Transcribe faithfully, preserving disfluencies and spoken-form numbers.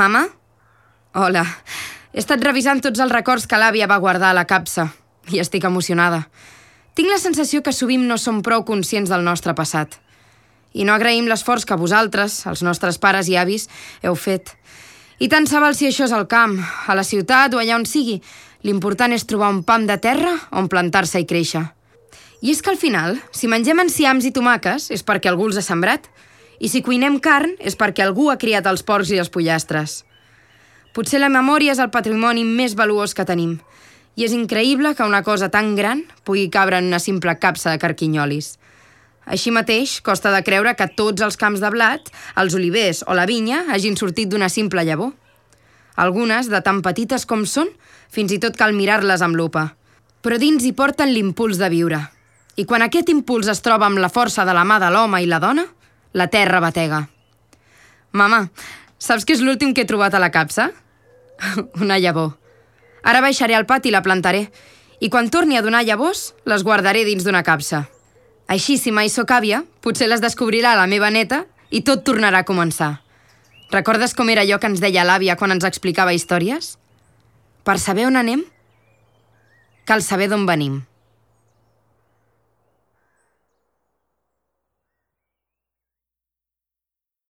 Mama? Hola. He estat revisant tots els records que l'àvia va guardar a la capsa i estic emocionada. Tinc la sensació que sovint no som prou conscients del nostre passat. I no agraïm l'esforç que vosaltres, els nostres pares i avis, heu fet. I tant se val si això és al camp, a la ciutat o allà on sigui. L'important és trobar un pam de terra on plantar-se i créixer. I és que al final, si mengem enciams i tomaques, és perquè algú els ha sembrat. I si cuinem carn, és perquè algú ha criat els porcs i els pollastres. Potser la memòria és el patrimoni més valuós que tenim. I és increïble que una cosa tan gran pugui cabre en una simple capsa de carquinyolis. Així mateix, costa de creure que tots els camps de blat, els olivers o la vinya hagin sortit d'una simple llavor. Algunes, de tan petites com són, fins i tot cal mirar-les amb lupa. Però dins hi porten l'impuls de viure. I quan aquest impuls es troba amb la força de la mà de l'home i la dona, la terra batega. Mama, saps què és l'últim que he trobat a la capsa? Una llavor. Ara baixaré al pati i la plantaré. I quan torni a donar llavors, les guardaré dins d'una capsa. Així, si mai sóc àvia, potser les descobrirà la meva neta i tot tornarà a començar. Recordes com era allò que ens deia l'àvia quan ens explicava històries? Per saber on anem, cal saber d'on venim.